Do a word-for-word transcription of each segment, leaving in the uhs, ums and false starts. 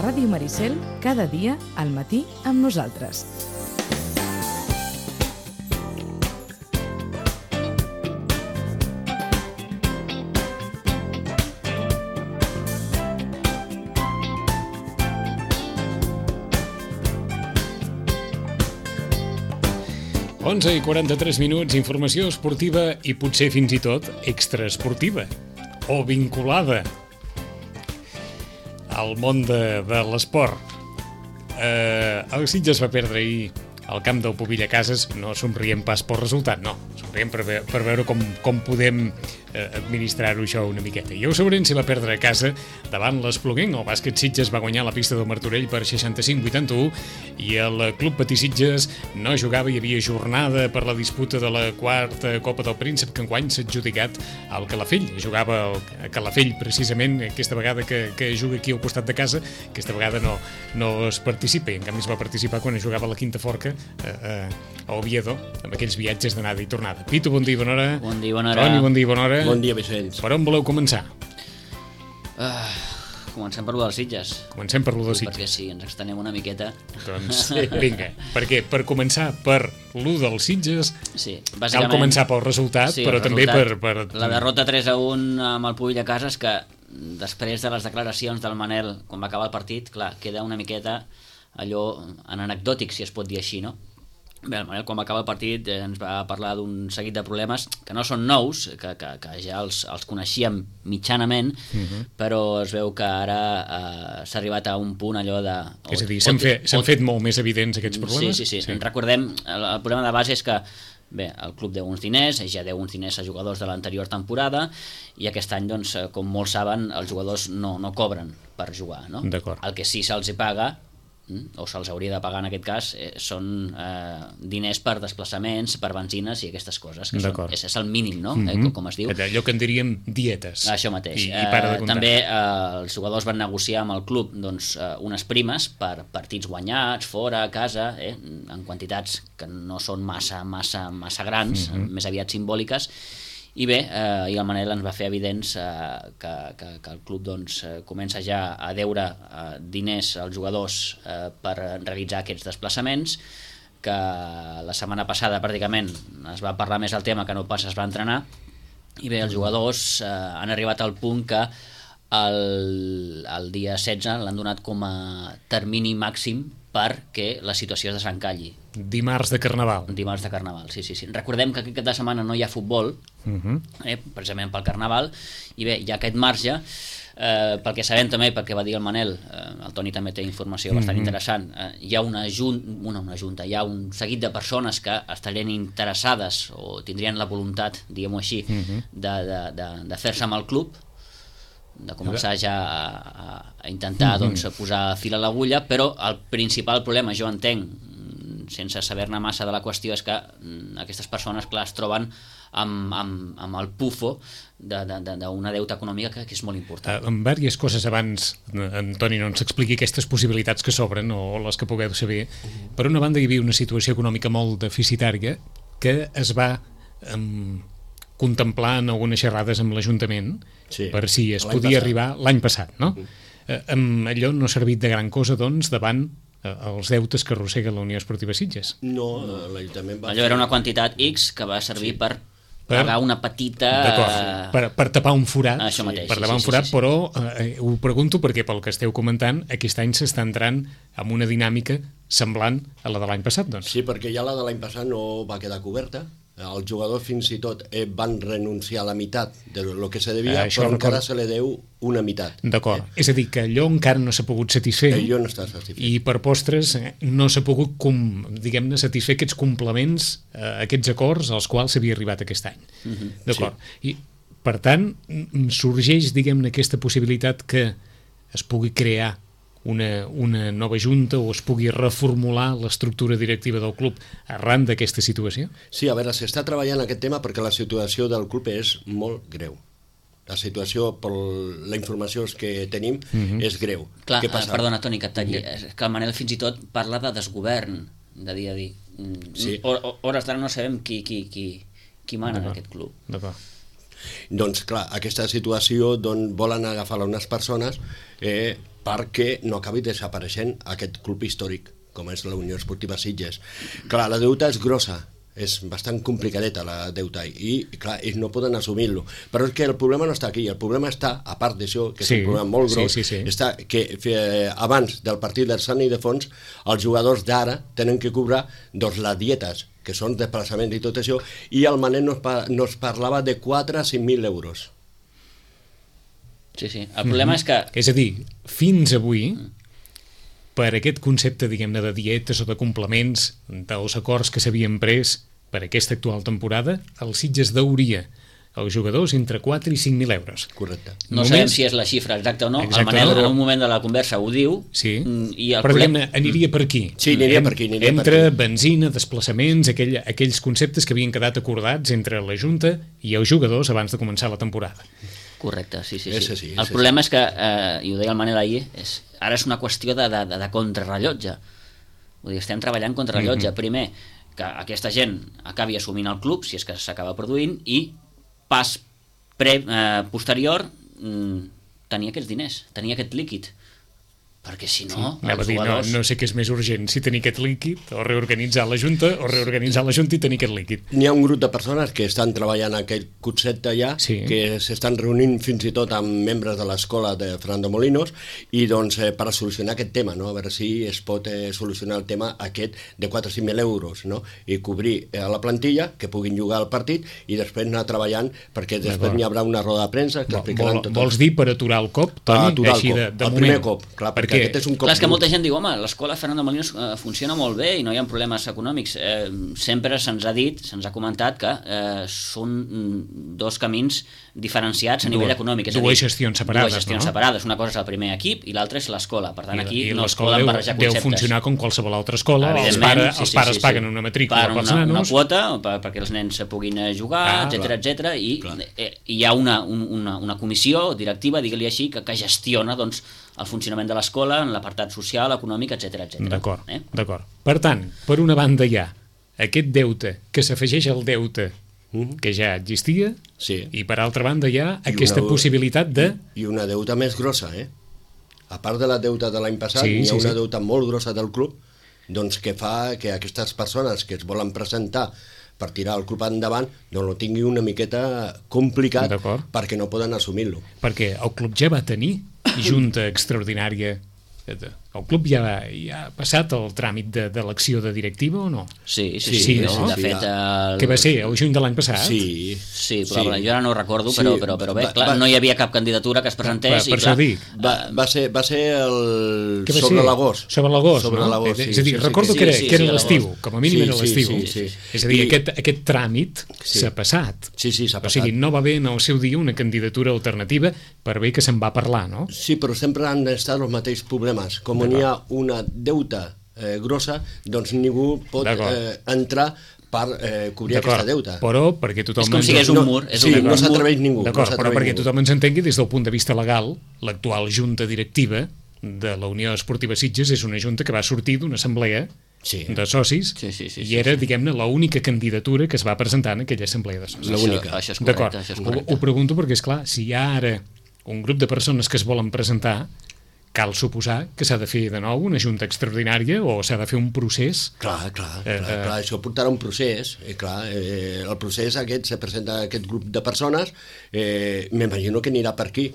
Ràdio Maricel, cada dia al matí amb nosaltres. onze i quaranta-tres minuts, informació esportiva i potser fins i tot extraesportiva o vinculada al món de, de l'esport. Eh, el Sitges va perdre ahir al camp del Pubilla Cases. No somriem pas pel resultat, no. Somriem per, ve per veure com, com podem eh, administrar-ho això una miqueta. I el Sobrense va perdre a casa davant l'Espluguenc. El bàsquet Sitges va guanyar la pista del Martorell per seixanta-cinc a vuitanta-u i el Club Patí Sitges no jugava. Hi havia jornada per la disputa de la quarta Copa del Príncep, que enguany s'ha adjudicat al Calafell. Jugava a Calafell precisament aquesta vegada que, que juga aquí al costat de casa. Aquesta vegada no, no es participa, i en canvi es va participar quan jugava a la Quinta Forca a, a, a Oviedo, amb aquells viatges d'anada i tornada. Pitu, bon dia, bona hora. Bon dia, bona hora. Toni, bon dia, bona hora. Bon dia, Vicenç. Per on voleu començar? Uh, comencem per lo dels Sitges. Comencem per lo dels Sitges. Perquè si ens extenem una miqueta... Doncs vinga, perquè per començar per lo dels Sitges sí, cal començar pel resultat, sí, però el també resultat, per, per... La derrota tres a un amb el Pubilla Cases, que després de les declaracions del Manel, quan va acabar el partit, clar, queda una miqueta allò anecdòtic, si es pot dir així, no? Bé, el Manel, quan va acabar el partit, eh, ens va parlar d'un seguit de problemes que no són nous, que, que, que ja els, els coneixíem mitjanament, uh-huh. però es veu que ara eh, s'ha arribat a un punt allò de... És a dir, s'han fet, fet molt més evidents aquests problemes? Sí, sí, sí. sí. Recordem, el, el problema de base és que bé, el club deu uns diners, ja deu uns diners a jugadors de l'anterior temporada, i aquest any, doncs, com molts saben, els jugadors no, no cobren per jugar, no? D'acord. El que sí se'ls paga, o se'ls hauria de pagar en aquest cas, eh, són eh, diners per desplaçaments, per benzines i aquestes coses, que són, és, és el mínim, no? Mm-hmm. eh, com, com es diu. Allò que en diríem dietes. Això mateix. I, i para de eh, també eh, els jugadors van negociar amb el club doncs, eh, unes primes per partits guanyats, fora, a casa, eh, en quantitats que no són massa, massa, massa grans, mm-hmm. més aviat simbòliques. I bé, eh, i el Manel ens va fer evidents eh, que, que, que el club doncs, eh, comença ja a deure eh, diners als jugadors eh, per realitzar aquests desplaçaments, que la setmana passada pràcticament es va parlar més del tema que no pas es va entrenar, i bé, els jugadors eh, han arribat al punt que el, el dia setze l'han donat com a termini màxim perquè la situació es desencalli. Dimarts de Carnaval. Dimarts de Carnaval, sí, sí, sí. Recordem que aquest cap de setmana no hi ha futbol, uh-huh. eh, precisament pel Carnaval, i bé, hi ha aquest marge, eh, pel que sabem també, perquè va dir el Manel, eh, el Toni també té informació bastant uh-huh. interessant, eh, hi ha una, jun una, una junta, hi ha un seguit de persones que estarien interessades o tindrien la voluntat, diguem-ho així, uh-huh. de, de, de, de fer-se amb el club, de començar ja a, a intentar doncs, posar fil a l'agulla, però el principal problema, jo entenc, sense saber-ne massa de la qüestió, és que aquestes persones, clar, es troben amb, amb, amb el pufo d'una deuta econòmica que, que és molt important. Uh, en diverses coses abans, Antoni, no ens expliqui aquestes possibilitats que s'obren o les que pugueu saber. Per una banda, hi havia una situació econòmica molt deficitària que es va um, contemplar en algunes xerrades amb l'Ajuntament, sí, per si es podia passat. arribar l'any passat, no? Uh-huh. uh, um, allò no ha servit de gran cosa, doncs, davant els deutes que arrossega la Unió Esportiva Sitges. No, l'Ajuntament va... Allò era una quantitat X que va servir sí. per, per pagar una petita... Per, per tapar un forat, Això mateix, per tapar sí, un forat, sí, sí, sí. però eh, ho pregunto perquè pel que esteu comentant, aquest any s'està entrant amb una dinàmica semblant a la de l'any passat, doncs. Sí, perquè ja la de l'any passat no va quedar coberta. Els jugadors fins i tot eh, van renunciar a la meitat de lo que se devia, eh, però encara record... se li deu una meitat. D'acord, eh? és a dir, que allò encara no s'ha pogut satisfer, allò no està satisfet. I per postres eh, no s'ha pogut, com, diguem-ne, satisfer aquests complements, eh, aquests acords als quals s'havia arribat aquest any. Uh-huh. D'acord, sí. I per tant sorgeix, diguem-ne, aquesta possibilitat que es pugui crear Una, una nova junta o es pugui reformular l'estructura directiva del club arran d'aquesta situació? Sí, a veure, s'està treballant aquest tema perquè la situació del club és molt greu. La situació, per la informació que tenim, uh-huh. és greu. Clar, Què passa? Perdona, Toni, que et talli. És que el Manel fins i tot parla de desgovern, de dia a dia. Sí. Hores d'ara no sabem qui, qui, qui, qui mana en aquest club. D'acord. Doncs, clar, aquesta situació d'on volen agafar unes persones eh, perquè no acabi desapareixent aquest club històric, com és la Unió Esportiva Sitges. Clar, la deuta és grossa, és bastant complicadeta la deuta i, clar, ells no poden assumir-lo. Però és que el problema no està aquí, el problema està, a part d'això, que és sí, un problema molt gros, sí, sí, sí. està que eh, abans del partit del Sant Ildefons, els jugadors d'ara tenen que cobrar doncs, les dietes, que són desplaçaments i tot això, i el Manel nos, pa nos parlava de quatre a cinc mil euros. Sí, sí. El problema mm-hmm. és que... És a dir, fins avui, per aquest concepte, diguem-ne, de dietes o de complements dels acords que s'havien pres per aquesta actual temporada, el Sitges deuria als jugadors entre quatre i cinc mil euros. Correcte. No Només... sabem si és la xifra exacta o no. Exacte, el Manel no. en un moment de la conversa ho diu. Sí, i el però problema... aniria per aquí. Sí, aniria per aquí. Aniria entre per aquí. benzina, desplaçaments, aquell, aquells conceptes que havien quedat acordats entre la Junta i els jugadors abans de començar la temporada. Correcte, sí, sí. sí. Ese sí el ese problema sí. és que, eh, i ho deia el Manel ahir, és, ara és una qüestió de, de, de contrarrellotge. Vull dir, estem treballant contrarrellotge. Mm-hmm. Primer, que aquesta gent acabi assumint el club, si és que s'acaba produint, i pas pre, eh, posterior, mm, tenir aquests diners, tenir aquest líquid. Perquè si no, sí, els dir, jugadors... No, no sé què és més urgent, si tenir aquest líquid o reorganitzar la Junta o reorganitzar la Junta i tenir aquest líquid. N'hi ha un grup de persones que estan treballant aquest concepte ja, sí. que s'estan reunint fins i tot amb membres de l'escola de Fernando Molinos i doncs eh, per a solucionar aquest tema, no? A veure si es pot eh, solucionar el tema aquest de quatre o cinc mil euros, no? I cobrir eh, la plantilla, que puguin jugar al partit i després anar treballant, perquè després n'hi haurà una roda de premsa que explicaran Vol, tot. Vols dir per aturar el cop, Toni? Aturar Així el cop, de, de el moment. primer cop, clar, perquè aquest és un cop... Clar, és que molta gent diu, home, l'escola Fernando Molinos eh, funciona molt bé i no hi ha problemes econòmics. Eh, sempre se'ns ha dit, se'ns ha comentat que eh, són dos camins diferenciats a nivell dues, econòmic. És dues a dir, gestions separades, dues gestions no? separades. Una cosa és el primer equip i l'altra és l'escola. Per tant, I, aquí i no es l'escola poden deu, barrejar deu conceptes. funcionar com qualsevol altra escola. Els, pare, sí, els sí, pares sí, sí. paguen una matrícula pels una, nanos. Una quota per, perquè els nens puguin jugar, ah, etcètera, etcètera, i eh, hi ha una, un, una, una comissió directiva, digue-li així, que, que gestiona doncs, el funcionament de l'escola en l'apartat social, econòmic, etcètera, etcètera. D'acord, eh? d'acord. Per tant, per una banda hi ha aquest deute que s'afegeix al deute mm-hmm. que ja existia, sí. i per altra banda hi ha I aquesta una, possibilitat de... I una deuta més grossa, eh? A part de la deuta de l'any passat, sí, hi ha sí, una sí. deuta molt grossa del club, doncs que fa que aquestes persones que es volen presentar per tirar el club endavant no ho tingui una miqueta complicat perquè no poden assumir-lo. Perquè el club ja va tenir junta extraordinària. El club ja, ja ha passat el tràmit d'elecció de, de directiva o no? Sí, sí, sí. sí, sí, no? de fet, el... Què va ser, el juny de l'any passat? Sí. Sí, probablement. Sí. Jo ara no ho recordo, sí. però, però, però bé, va, clar, va, no hi havia cap candidatura que es presentés. Per, per i clar, dic. Va, va, ser, va ser el... va sobre ser? l'agost. Sobre l'agost, sobre no? l'agost, sí, és a dir, sí, recordo sí, que era, sí, que era sí, l'estiu, com a mínim sí, era l'estiu. Sí, sí, sí. És a dir, I... aquest, aquest tràmit sí. s'ha passat. Sí, sí, s'ha passat. O sigui, no va haver en el seu dia una candidatura alternativa per bé que se'n va parlar, no? Sí, però sempre han estat els mateixos problemes. Com n'hi ha una deuta eh, grossa, doncs ningú pot eh, entrar per eh, cobrir aquesta deuta. Però perquè tothom... És com si és un mur. És sí, un no s'atreveix ningú. D'acord, no però perquè ningú. tothom ens entengui, des del punt de vista legal, l'actual junta directiva de la Unió Esportiva Sitges és una junta que va sortir d'una assemblea sí. de socis sí, sí, sí, i era, sí, sí. diguem-ne, l'única candidatura que es va presentar en aquella assemblea de socis. L'única. Això, això és correcte. Això és correcte. Ho, ho pregunto perquè, és clar, si hi ha ara un grup de persones que es volen presentar, cal suposar que s'ha de fer de nou una junta extraordinària o s'ha de fer un procés. Clar, clar, eh, clar, clar. Això portarà un procés. Eh, clar, eh, el procés aquest, se presenta aquest grup de persones, eh, m'imagino que anirà per aquí.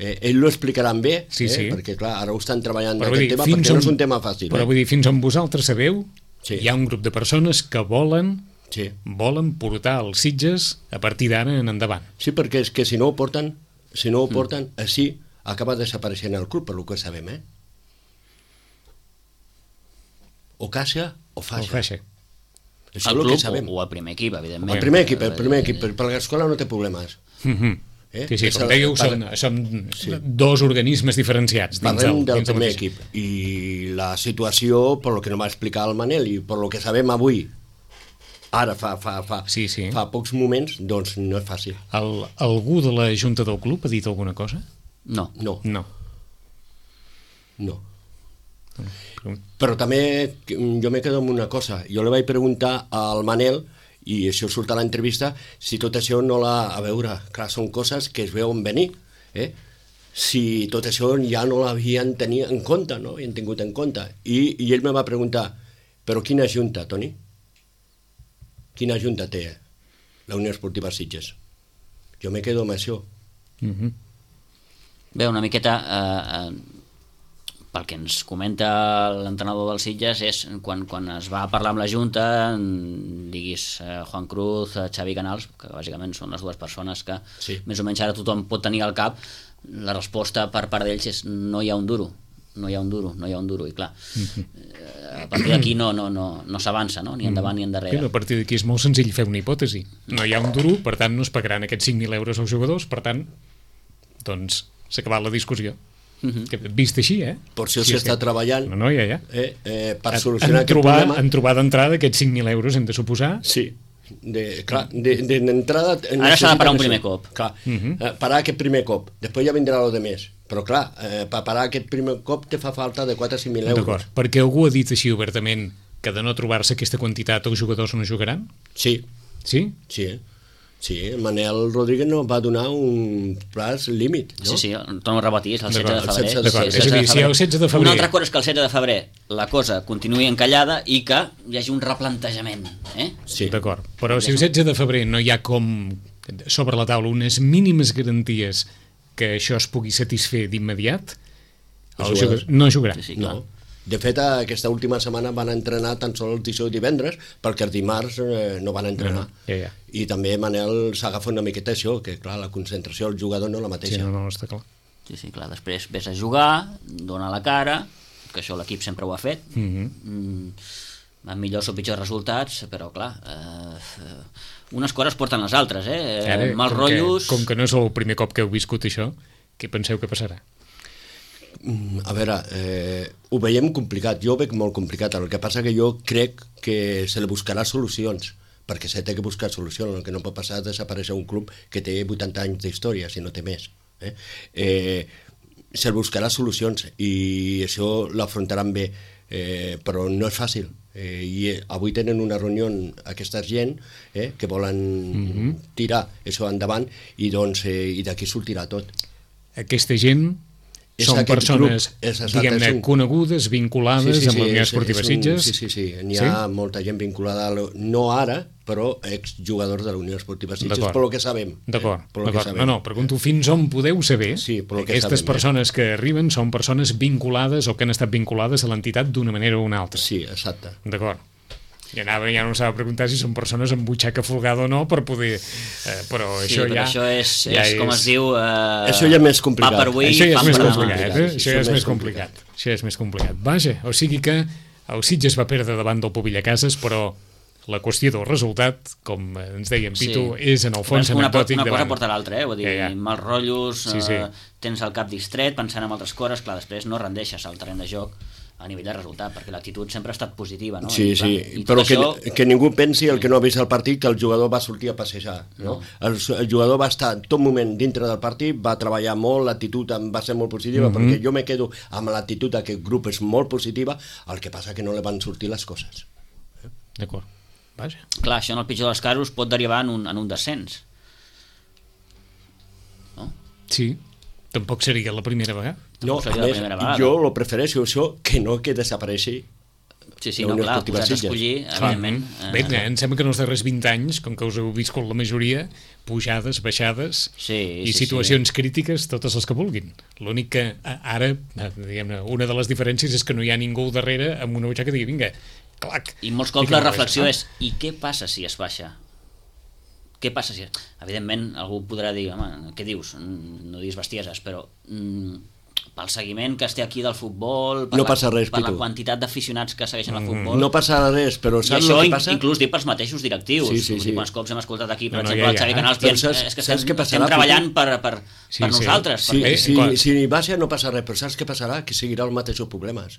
Eh, ell ho explicaran bé, sí, eh, sí. perquè clar, ara ho estan treballant però aquest dir, tema perquè on, no és un tema fàcil. Però eh? vull dir, fins on vosaltres sabeu, sí. hi ha un grup de persones que volen sí. volen portar els Sitges a partir d'ara en endavant. Sí, perquè és que si no ho porten, si no ho porten, mm. així acaba desapareixent el club, per lo que sabem, eh? O caixa o faixa. O faixa. Això el és el club que sabem. o el primer equip, evidentment. El primer equip, el primer equip, per l'escola no té problemes. Mm-hmm. eh? Sí, sí, com dèieu, per... són, són sí. dos organismes diferenciats. Dins Parlem del, del dins primer del equip. I la situació, per lo que no va explicar el Manel i per lo que sabem avui, ara fa, fa, fa, sí, sí. fa pocs moments, doncs no és fàcil. El, algú de la junta del club ha dit alguna cosa? No. No. No. No. Però també jo m'he quedat amb una cosa. Jo li vaig preguntar al Manel i això surt a l'entrevista, si tot això no l'ha... A veure, clar, són coses que es veuen venir, eh? Si tot això ja no l'havien tenit en compte, no? Havien tingut en compte. I, i ell me va preguntar, però quina junta, Toni? Quina junta té la Unió Esportiva Sitges? Jo me quedo amb això. Mm-hmm. Bé, una miqueta... Eh, eh, pel que ens comenta l'entrenador dels Sitges és quan, quan es va parlar amb la Junta, diguis eh, Juan Cruz, eh, Xavi Canals, que bàsicament són les dues persones que sí. més o menys ara tothom pot tenir al cap, la resposta per part d'ells és no hi ha un duro, no hi ha un duro, no hi ha un duro, i clar, eh, a partir d'aquí no, no, no, no s'avança, no? Ni endavant ni endarrere. A partir d'aquí és molt senzill fer una hipòtesi. No hi ha un duro, per tant no es pagaran aquests cinc mil euros als jugadors, per tant, doncs s'ha acabat la discussió. Uh-huh. Vist així, eh? Per això s'hi està treballant no, no, ja, ja. Eh, eh, per solucionar en aquest trobar, problema. En trobar d'entrada aquests cinc mil euros, hem de suposar. Sí, de, clar, d'entrada... De, ara s'ha de parar un primer cop. Clar, uh-huh. eh, parar aquest primer cop, després ja vindrà lo de més. Però clar, eh, per parar aquest primer cop te fa falta de quatre a cinc mil euros. D'acord, perquè algú ha dit així obertament que de no trobar-se aquesta quantitat els jugadors no jugaran? Sí. Sí? Sí, Sí, Manel Rodríguez no va donar un plaç límit, no? Sí, sí, torno a repetir, és el setze de febrer. D'acord, és a dir, si el setze de febrer... Una altra cosa és que el setze de febrer la cosa continuï encallada i que hi hagi un replantejament, eh? Sí. D'acord, però si el setze de febrer no hi ha com sobre la taula unes mínimes garanties que això es pugui satisfer d'immediat, el jugador no jugarà. Sí, sí, clar. No. De fet, aquesta última setmana van entrenar tan sols dijous i divendres, perquè els dimarts eh, no van entrenar. No, ja, ja. I també Manel s'agafa una miqueta això, que clar, la concentració del jugador no és la mateixa. Sí, no, no, està clar. Sí, sí, clar, després ves a jugar, dona la cara, que això l'equip sempre ho ha fet, mm-hmm. mm, amb millors o pitjors resultats, però clar, eh, unes coses porten les altres, eh? Ara, Mals com rotllos... Que, com que no és el primer cop que heu viscut això, què penseu que passarà? A veure, eh, ho veiem complicat, jo ho veig molt complicat, el que passa que jo crec que se li buscarà solucions, perquè se té que buscar solucions, el que no pot passar és desaparèixer un club que té vuitanta anys d'història, si no té més. Eh? Eh, se li buscarà solucions i això l'afrontaran bé, eh, però no és fàcil. Eh, i avui tenen una reunió aquesta gent eh, que volen mm-hmm. tirar això endavant i, doncs, eh, i d'aquí sortirà tot. Aquesta gent... Són persones, diguem-ne, un... conegudes, vinculades sí, sí, sí, amb la Unió Esportiva Sitges? Sí, sí, sí. N'hi ha sí? molta gent vinculada, a lo... no ara, però exjugadors de la Unió Esportiva Sitges, per lo que sabem. D'acord, eh? d'acord. No, no, pregunto fins on podeu saber sí, que aquestes sabem, persones eh? que arriben són persones vinculades o que han estat vinculades a l'entitat d'una manera o una altra. Sí, exacte. D'acord. I anava, ja no s'ha de preguntar si són persones amb butxaca folgada o no per poder... Eh, però sí, això però ja... això és, ja és, com es diu... Eh, això ja és més complicat. Pa per avui, això ja és més per complicat, demà. eh? Això ja és més complicat. Això ja és més complicat. Vaja, o sigui que el Sitges va perdre davant del Pobilla Cases, però la qüestió del resultat, com ens deia en Pitu, sí. és en el fons una, anecdòtic una davant. cosa porta l'altra, eh? Vull dir, ja, ja. mals rotllos, sí, sí. Eh, tens el cap distret, pensant en altres coses, clar, després no rendeixes al terreny de joc a nivell de resultat, perquè l'actitud sempre ha estat positiva, no? Sí, I, clar, sí, però que, això... que ningú pensi el que no ha vist el partit, que el jugador va sortir a passejar, no? no. El, el jugador va estar tot moment dintre del partit, va treballar molt, l'actitud va ser molt positiva, mm-hmm. perquè jo me quedo amb l'actitud d'aquest grup és molt positiva, el que passa que no li van sortir les coses. Eh? D'acord, vaja. Clar, això en el pitjor dels casos pot derivar en un, en un descens. No? Sí, tampoc seria la primera vegada. No, a més, jo lo prefereixo això que no que desapareixi. Sí, sí, no, clar, posats a escollir, evidentment. Bé, em sembla que en els darrers vint anys, com que us heu viscut la majoria, pujades, baixades sí, i sí, situacions sí. crítiques, totes les que vulguin. L'únic que ara, diguem-ne, una de les diferències és que no hi ha ningú al darrere amb una butxaca que digui, vinga, clac. I molts cops la reflexió és, i què passa si es baixa? Què passa si... Evidentment, algú podrà dir, home, què dius? No diguis bestieses, però mm, pel seguiment que es té aquí del futbol, per, no la, passa res, per la quantitat d'aficionats que segueixen el futbol... No passa res, però saps el que passa? Inclús dic pels mateixos directius. Sí, sí, sí. Quants cops hem escoltat aquí, per no, no, exemple, ja, ja. el Xavi Canals dient, saps, és que saps estem, passarà, estem treballant per, per, sí, per sí. nosaltres. Sí, perquè... si, si, si baixa no passa res, però saps què passarà? Que seguirà els mateixos problemes.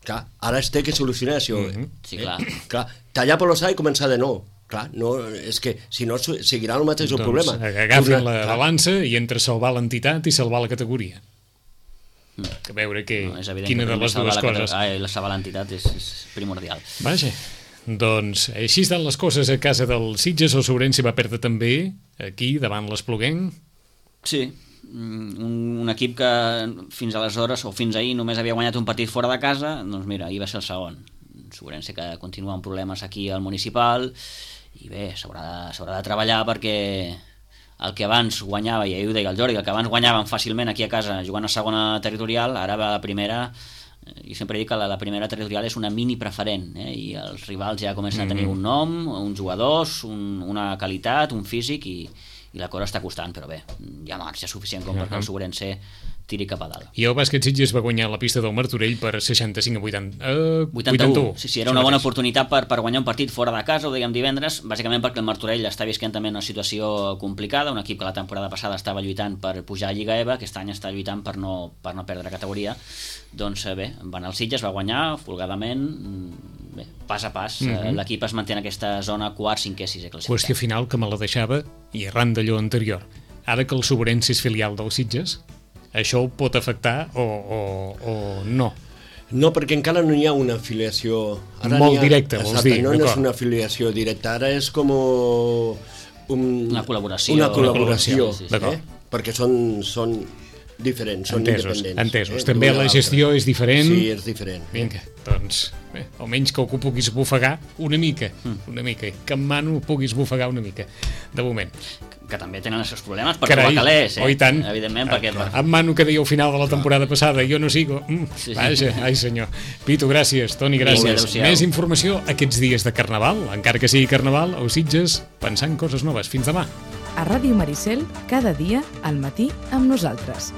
Clar, ara es té que solucionar això. Mm-hmm. Sí, clar. Eh? Clar, tallar per l'ossa i començar de nou. Clar, no, és que si no seguirà el mateix doncs, problema. Agafin la clar. balança i entre salvar l'entitat i salvar la categoria. A veure que, no, quina que de les dues coses. Ah, la salvar l'entitat és, és primordial. Vaja, Doncs així estan les coses a casa del Sitges. El Sobrense va perdre també aquí, davant l'Espluguenc. Sí, un, un equip que fins aleshores o fins ahir només havia guanyat un partit fora de casa, doncs mira, ahir va ser el segon. Sobrense que continua amb problemes aquí al municipal i bé, s'haurà de, s'haurà de treballar perquè el que abans guanyava, i ahir ho deia el Jordi, el que abans guanyaven fàcilment aquí a casa jugant a segona territorial, ara va a la primera. Jo sempre dic que la, la primera territorial és una mini preferent, eh? I els rivals ja comencen a tenir un nom, uns jugadors, un, una qualitat, un físic, i, i la cosa està costant, però bé, hi ha marge suficient com perquè el Sobrense tiri cap a dalt. I el bàsquet Sitges va guanyar la pista del Martorell per seixanta-cinc a vuitanta, eh, vuitanta-u. vuitanta-u. Sí, sí, era una bona oportunitat per, per guanyar un partit fora de casa, ho dèiem divendres, bàsicament perquè el Martorell està visquent també una situació complicada, un equip que la temporada passada estava lluitant per pujar a Lliga EVA, aquest any està lluitant per no, per no perdre categoria. Doncs bé, van al Sitges, va guanyar folgadament, bé, pas a pas, mm-hmm. l'equip es manté en aquesta zona quart, cinquè, sisè classificat. Qüestió final que me la deixava, i arran d'allò anterior, ara que el Sobrense és filial del Sitges, això ho pot afectar o, o, o no? No, perquè encara no hi ha una afiliació... Ara Molt ha, directa, vols dir. No, no és una afiliació directa, ara és com un, una col·laboració. Una col·laboració, sí, sí, sí. Eh? Perquè són, són diferents, són entesos, independents. Entesos, eh? També la gestió és diferent. Sí, és diferent. Vinga, doncs, bé, almenys que algú puguis bufegar una mica, una mica, que en mano puguis bufegar una mica, de moment. Que també tenen els seus problemes per Carai, trobar calés, eh? Oh, i tant. Evidentment, Ah, perquè... en mano que deia al final de la temporada passada, jo no sigo. Mm, Sí, sí. vaja, ai senyor. Pitu, gràcies. Toni, gràcies. adéu-siau. Més informació aquests dies de Carnaval, encara que sigui Carnaval, o Sitges, pensant coses noves. Fins demà. A Ràdio Maricel, cada dia, al matí, amb nosaltres.